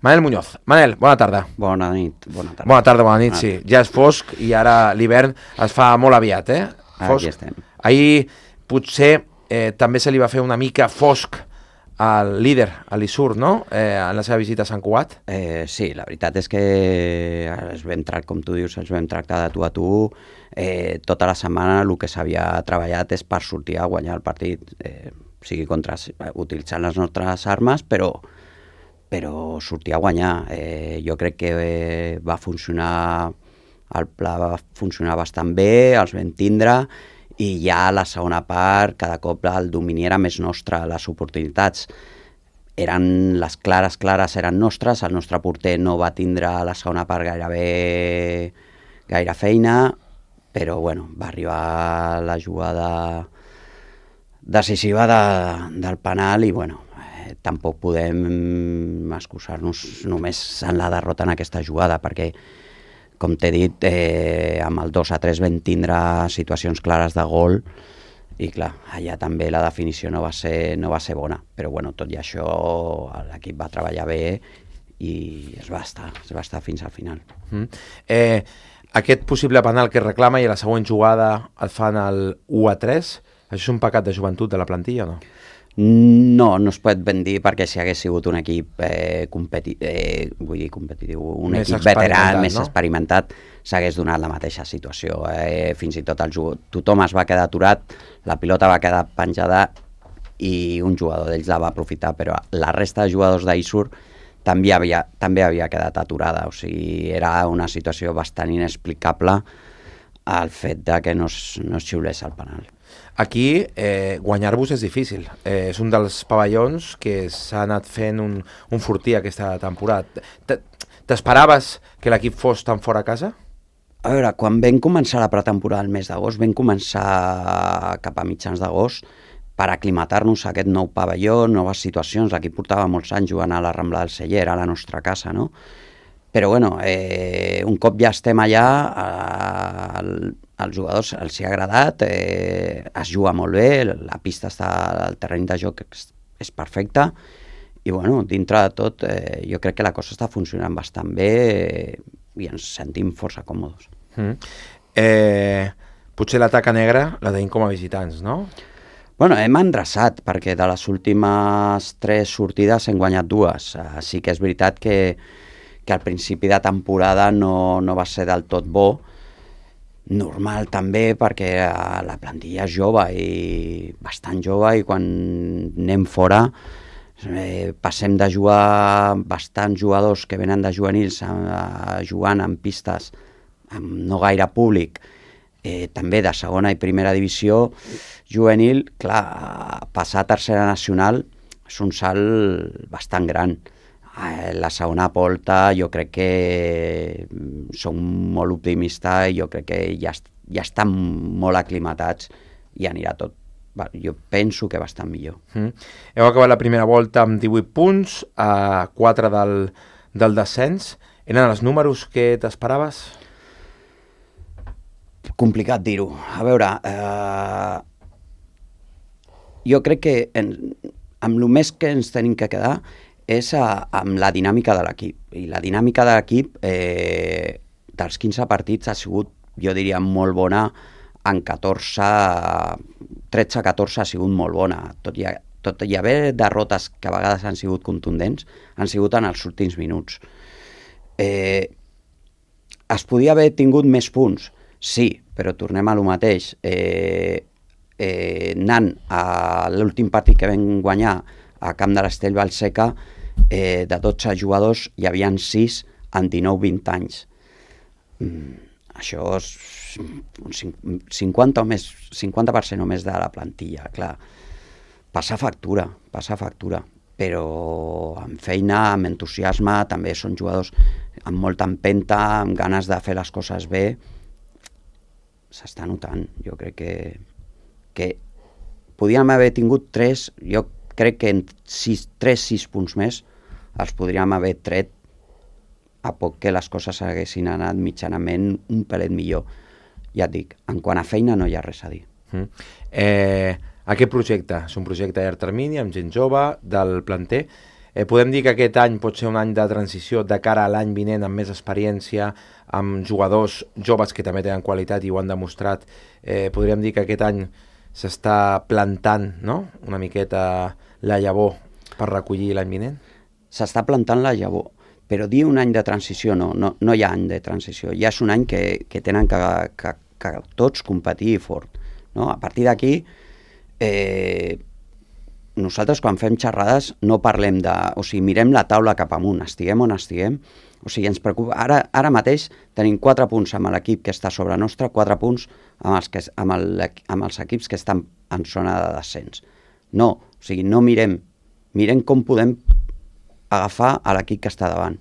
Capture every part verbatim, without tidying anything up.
Manel Muñoz. Manel, bona tarda. Bona nit. Bona tarda, bona tarda, bona nit, sí. Ja és fosc i ara l'hivern es fa molt aviat, eh? Fosc. Aquí estem. Ahir potser eh, també se li va fer una mica fosc al líder, a l'Isur, no?, eh, en la seva visita a Sant Cugat. Eh, sí, la veritat és que els vam tractar, com tu dius, els vam tractar de tu a tu. Eh, tota la setmana el que s'havia treballat és per sortir a guanyar el partit, eh, sigui contra, utilitzant les nostres armes, però, però sortir a guanyar. Eh, jo crec que eh, va funcionar, el pla va funcionar bastant bé, els vam tindre, i ja a la segona part cada cop el domini era més nostre, les oportunitats eren les clares, clares eren nostres, el nostre porter no va tindre a la segona part gairebé gaire feina, però bueno, va arribar la jugada decisiva de, del penal i bueno, eh, tampoc podem excusar-nos només en la derrota en aquesta jugada, perquè com t'he dit, eh, amb el dos a tres vam tindre situacions clares de gol i clar, allà també la definició no va ser, no va ser bona, però bueno, tot i això l'equip va treballar bé i es va estar, es va estar fins al final. Mm. Eh, aquest possible penal que reclama i a la següent jugada el fan el u a tres, això és un pecat de joventut de la plantilla o no? No, no es pot ben dir, perquè si hagués sigut un equip eh, competi eh, vull dir competitiu, un més equip veterà, més no? experimentat, s'hagués donat la mateixa situació. Eh, fins i tot el jugador, tothom es va quedar aturat, la pilota va quedar penjada i un jugador d'ells la va aprofitar, però la resta de jugadors d'Isur també havia, també havia quedat aturada, o sigui, era una situació bastant inexplicable el fet de que no es, no es xiulés el penal. Aquí eh, guanyar-vos és difícil, eh, és un dels pavellons que s'ha anat fent un, un fortí aquesta temporada. T'esperaves que l'equip fos tan fora a casa? A veure, quan vam començar la pretemporada el mes d'agost, vam començar cap a mitjans d'agost per aclimatar-nos a aquest nou pavelló, noves situacions. L'equip portava molts anys jugant a la Rambla del Celler, a la nostra casa, no? Però bueno, eh, un cop ja estem allà, eh, als jugadors els hi ha agradat, eh, es juga molt bé, la pista està, el terreny de joc és, és perfecte, i bueno, dintre de tot eh, jo crec que la cosa està funcionant bastant bé eh, i ens sentim força còmodes. Mm. Eh, potser la taca negra la tenim com a visitants, no? Bueno, hem endreçat, perquè de les últimes tres sortides hem guanyat dues. Uh, sí que és veritat que, que al principi de temporada no, no va ser del tot bo, normal també perquè uh, la plantilla és jove i bastant jove, i quan anem fora eh, passem de jugar bastants jugadors que venen de juvenils a, a jugant en pistes amb no gaire públic, eh, també de segona i primera divisió juvenil, clar, passar a tercera nacional és un salt bastant gran. Eh, la segona volta jo crec que som molt optimistes i jo crec que ja, ja estan molt aclimatats i anirà tot, jo penso que bastant millor. Mm. Heu acabat la primera volta amb divuit punts, a quatre del, del descens. Eren els números que t'esperaves? Complicat dir-ho. A veure, eh, jo crec que en, amb el més que ens tenim que quedar és a, amb la dinàmica de l'equip. I la dinàmica de l'equip eh, dels quinze partits ha sigut, jo diria, molt bona. En catorze, tretze a catorze ha sigut molt bona. Tot i, tot i haver derrotes que a vegades han sigut contundents, han sigut en els últims minuts. Eh, es podia haver tingut més punts? Sí, però tornem a lo mateix. Eh, eh, anant a l'últim partit que vam guanyar a camp de l'Estell Vallseca, eh, de dotze jugadors hi havia sis en dinou vint anys. Mm, això és un cinquanta o més, cinquanta per cent o més de la plantilla, clar. Passa factura, passa factura, però amb feina, amb entusiasme, també són jugadors amb molta empenta, amb ganes de fer les coses bé. S'està notant, jo crec que, que podíem haver tingut tres, jo crec que en sis, tres, sis punts més els podríem haver tret a poc que les coses haguessin anat mitjanament un pelet millor. Ja et dic, en quant a feina no hi ha res a dir. Mm. Eh, aquest projecte és un projecte a llarg termini, amb gent jove, del planter. Eh, podem dir que aquest any pot ser un any de transició de cara a l'any vinent amb més experiència, amb jugadors joves que també tenen qualitat i ho han demostrat. Eh, podríem dir que aquest any s'està plantant, no?, una miqueta la llavor per recollir l'any vinent? S'està plantant la llavor, però dir un any de transició no, no, no hi ha any de transició, ja és un any que, que tenen que, que, que tots competir fort, no? A partir d'aquí, eh, nosaltres quan fem xerrades no parlem de... O sigui, mirem la taula cap amunt, estiguem on estiguem, o sigui, ens preocupa... Ara, ara mateix tenim quatre punts amb l'equip que està sobre nostre, quatre punts amb els, que, amb, el, amb els equips que estan en zona de descens. No, o sigui, no mirem, mirem com podem agafar a l'equip que està davant.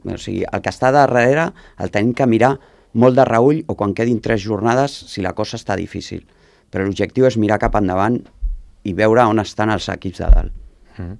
O sigui, el que està darrere el tenim que mirar molt de reull o quan quedin tres jornades si la cosa està difícil. Però l'objectiu és mirar cap endavant i veure on estan els equips de dalt. Mm.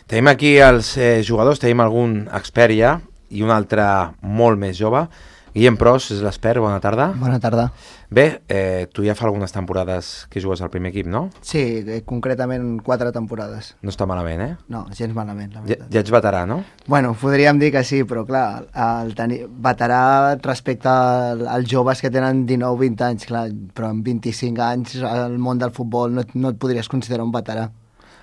Tenim aquí els eh, jugadors, tenim algun expert ja i un altre molt més jove. Guillem Pros és l'expert, bona tarda. Bona tarda. Bé, eh, tu ja fa algunes temporades que jugues al primer equip, no? Sí, eh, concretament quatre temporades. No està malament, eh? No, gens malament, la Ja, veritat. ja ets veterà, no? Bueno, podríem dir que sí, però clar, el tenir veterà respecte al- als joves que tenen dinou vint anys, clar, però amb vint-i-cinc anys al món del futbol no, et- no et podries considerar un veterà.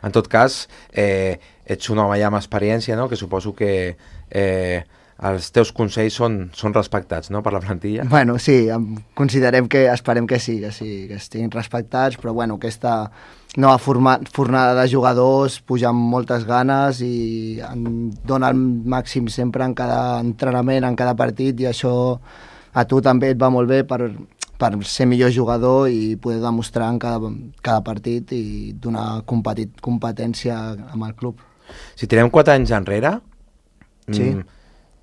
En tot cas, eh, ets un home ja amb experiència, no?, que suposo que eh, els teus consells són, són respectats, no?, per la plantilla. Bueno, sí, em- considerem que, esperem que sí, que sí, que estiguin respectats, però bueno, aquesta nova forma, fornada de jugadors puja amb moltes ganes i en dona el màxim sempre en cada entrenament, en cada partit, i això a tu també et va molt bé per, per ser millor jugador i poder demostrar en cada, cada partit i donar competit, competència amb el club. Si tirem quatre anys enrere, Sí. mm,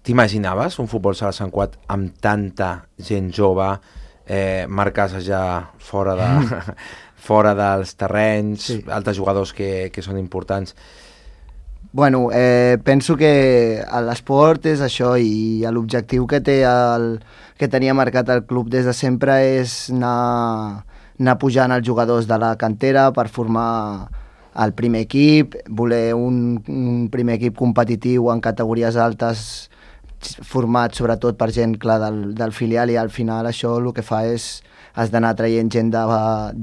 t'imaginaves un futbol sala Sant Cugat amb tanta gent jove, eh, marcas ja fora, de, fora dels terrenys, Sí. altres jugadors que, que són importants? Bueno, eh, penso que l'esport és això i l'objectiu que té el, que tenia marcat el club des de sempre és anar, anar pujant els jugadors de la cantera per formar el primer equip, voler un, un primer equip competitiu en categories altes format sobretot per gent clar del, del filial, i al final això el que fa és has d'anar traient gent, de,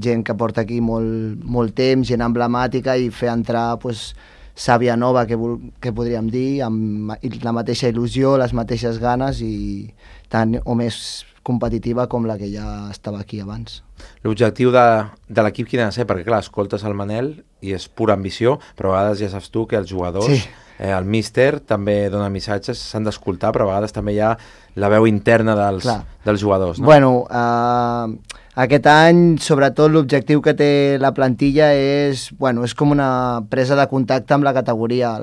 gent que porta aquí molt, molt temps, gent emblemàtica, i fer entrar pues, sàvia nova, que, vol, que podríem dir, amb la mateixa il·lusió, les mateixes ganes i tant o més competitiva com la que ja estava aquí abans. L'objectiu de, de l'equip quin ha de ser? Perquè clar, escoltes el Manel i és pura ambició, però a vegades ja saps tu que els jugadors, Sí. eh, el míster també dona missatges, s'han d'escoltar, però a vegades també hi ha la veu interna dels, Clar. dels jugadors, no? Bueno, eh, aquest any, sobretot, l'objectiu que té la plantilla és, bueno, és com una presa de contacte amb la categoria.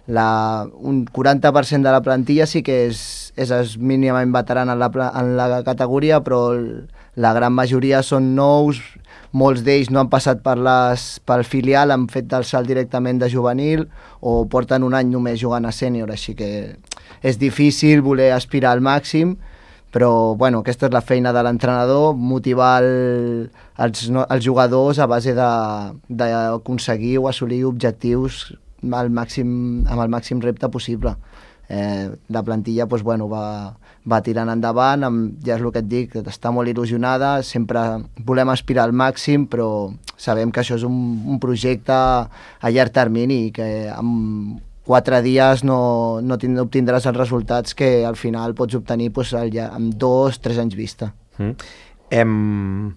La, un quaranta per cent de la plantilla sí que és, és, és mínimament veterana en la, pla- en la categoria, però el- la gran majoria són nous, molts d'ells no han passat per les, pel filial, han fet el salt directament de juvenil o porten un any només jugant a sènior, així que és difícil voler aspirar al màxim, però bueno, aquesta és la feina de l'entrenador, motivar el, els, no, els jugadors a base de- d'aconseguir o assolir objectius al màxim, amb el màxim repte possible. Eh, la plantilla pues, bueno, va, va tirant endavant, amb, ja és el que et dic, està molt il·lusionada, sempre volem aspirar al màxim, però sabem que això és un, un projecte a llarg termini i que amb quatre dies no, no, tind, no obtindràs els resultats que al final pots obtenir pues, al, lla- amb dos, tres anys vista. Mm. Em...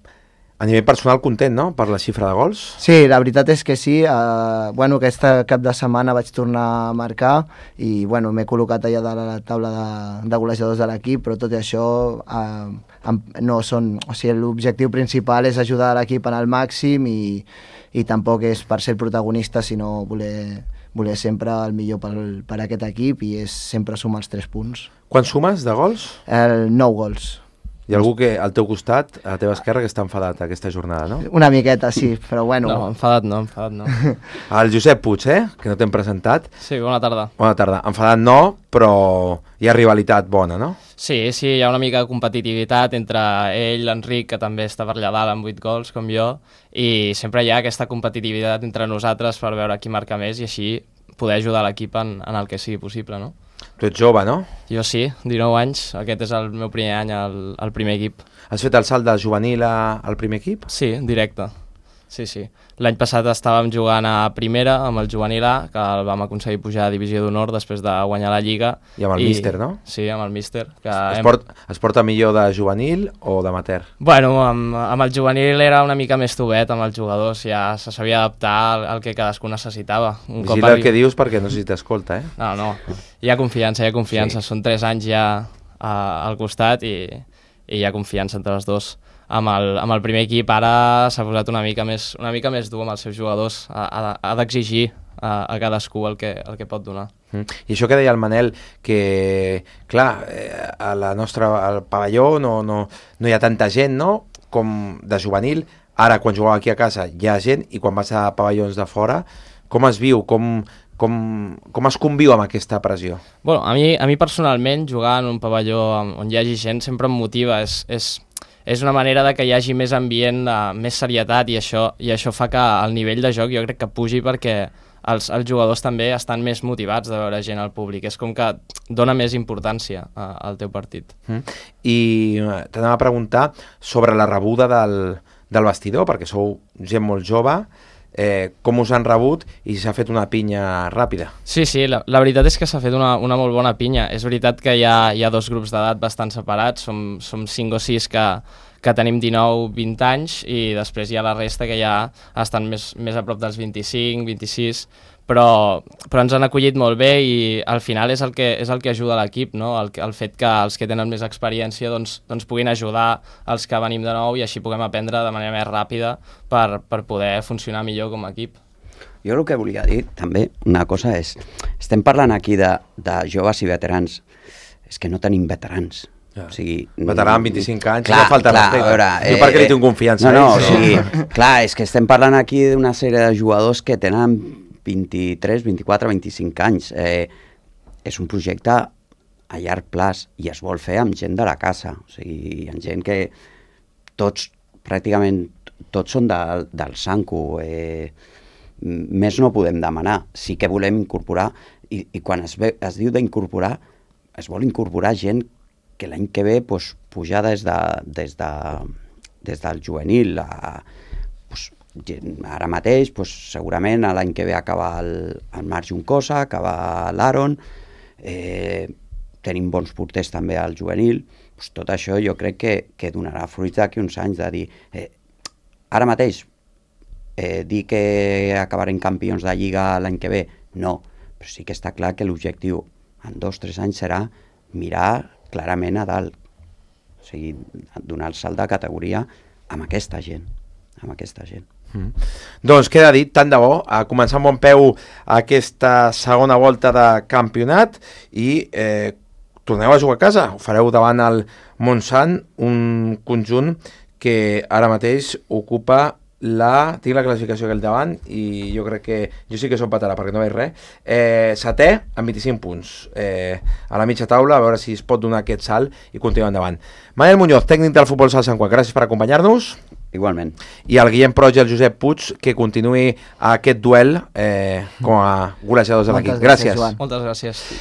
A nivell personal, content, no?, per la xifra de gols? Sí, la veritat és que sí. Uh, bueno, aquesta cap de setmana vaig tornar a marcar i bueno, m'he col·locat allà de la taula de, de golejadors de l'equip, però tot i això uh, amb, no són... O sigui, l'objectiu principal és ajudar l'equip en el màxim i, i tampoc és per ser el protagonista, sinó voler, voler sempre el millor per, per aquest equip, i és sempre sumar els tres punts. Quan sumes de gols? El nou gols. Hi ha algú que al teu costat, a la teva esquerra, que està enfadat aquesta jornada, no? Una miqueta, sí, però bueno... No, enfadat no, enfadat no. El Josep Puig, eh?, que no t'hem presentat. Sí, bona tarda. Bona tarda. Enfadat no, però hi ha rivalitat bona, no? Sí, sí, hi ha una mica de competitivitat entre ell, l'Enric, que també està per allà dalt amb vuit gols, com jo, i sempre hi ha aquesta competitivitat entre nosaltres per veure qui marca més, i així poder ajudar l'equip en, en el que sigui possible, no? Tu ets jove, no? Jo sí, dinou anys, aquest és el meu primer any al, al primer equip. Has fet el salt de juvenil a, al primer equip? Sí, directe. Sí, sí. L'any passat estàvem jugant a primera amb el juvenil A, que el vam aconseguir pujar a divisió d'honor després de guanyar la Lliga. I amb el míster, no? Sí, amb el míster. Que es, hem... port, es porta millor de juvenil o d'amateur? Bueno, amb, amb el juvenil era una mica més tovet, amb els jugadors, ja se sabia adaptar al, al que cadascú necessitava. Un Vigila cop el que dius perquè no sé si t'escolta, eh? No, no, hi ha confiança, hi ha confiança. Sí. Són tres anys ja a, al costat i, i hi ha confiança entre els dos. Amb el, amb el primer equip ara s'ha posat una mica més, una mica més dur amb els seus jugadors, ha, ha, ha d'exigir a, a cadascú el que, el que pot donar. Mm. I això que deia el Manel, que clar, eh, a la nostra, al pavelló no, no, no hi ha tanta gent, no?, com de juvenil. Ara, quan jugueu aquí a casa, hi ha gent, i quan vas a pavellons de fora, com es viu, com, com, com es conviu amb aquesta pressió? Bueno, a mi, a mi personalment, jugar en un pavelló on hi hagi gent sempre em motiva, és... és és una manera de que hi hagi més ambient, uh, més serietat, i això, i això fa que el nivell de joc jo crec que pugi perquè els, els jugadors també estan més motivats de veure gent al públic. És com que dona més importància uh, al teu partit. Mm. I t'anava a preguntar sobre la rebuda del, del vestidor, perquè sou gent molt jove, eh, com us han rebut i s'ha fet una pinya ràpida? Sí, sí, la, la veritat és que s'ha fet una, una molt bona pinya. És veritat que hi ha, hi ha dos grups d'edat bastant separats, som, som cinc o sis que, que tenim dinou vint anys, i després hi ha la resta que ja estan més, més a prop dels vint-i-cinc, vint-i-sis, però, però ens han acollit molt bé, i al final és el que, és el que ajuda l'equip, no? El, el fet que els que tenen més experiència doncs, doncs puguin ajudar els que venim de nou, i així puguem aprendre de manera més ràpida per, per poder funcionar millor com a equip. Jo el que volia dir també, una cosa és, estem parlant aquí de, de joves i veterans, és que no tenim veterans. Ja. O sigui, veterà amb vint-i-cinc anys, clar, no falta clar, respecte. Veure, eh, perquè li tinc confiança. No, no, eh, o sigui, clar, és que estem parlant aquí d'una sèrie de jugadors que tenen vint-i-tres, vint-i-quatre, vint-i-cinc anys. Eh, és un projecte a llarg plaç i es vol fer amb gent de la casa. O sigui, hi ha gent que tots, pràcticament, tots són de, del Sanco. Eh, més no podem demanar. Sí que volem incorporar, i, i quan es, ve, es diu d'incorporar, es vol incorporar gent que l'any que ve pues, pujar des, de, des, de, des del juvenil a, pues, ara mateix pues, segurament l'any que ve acaba el, el Marc Juncosa, acaba l'Aaron, eh, tenim bons porters també al juvenil, pues, tot això jo crec que, que donarà fruits d'aquí uns anys de dir, eh, ara mateix eh, dir que acabarem campions de Lliga l'any que ve, no, però sí que està clar que l'objectiu en dos o tres anys serà mirar clarament a dalt, o sigui, donar el salt de categoria amb aquesta gent, amb aquesta gent. Mm. Doncs queda dit, tant de bo, a començar amb bon peu aquesta segona volta de campionat, i eh, torneu a jugar a casa, ho fareu davant el Montsant, un conjunt que ara mateix ocupa la... tinc la classificació aquí al davant, i jo crec que jo sí que som patarà perquè no veig res, eh, setè amb vint-i-cinc punts, eh, a la mitja taula, a veure si es pot donar aquest salt i continuar endavant. Manel Muñoz, tècnic del Futbol Sala Sant Cugat, gràcies per acompanyar-nos. Igualment. I el Guillem Proig i el Josep Puig, que continuï aquest duel eh, com a golejadors de l'equip. Gràcies. Moltes gràcies.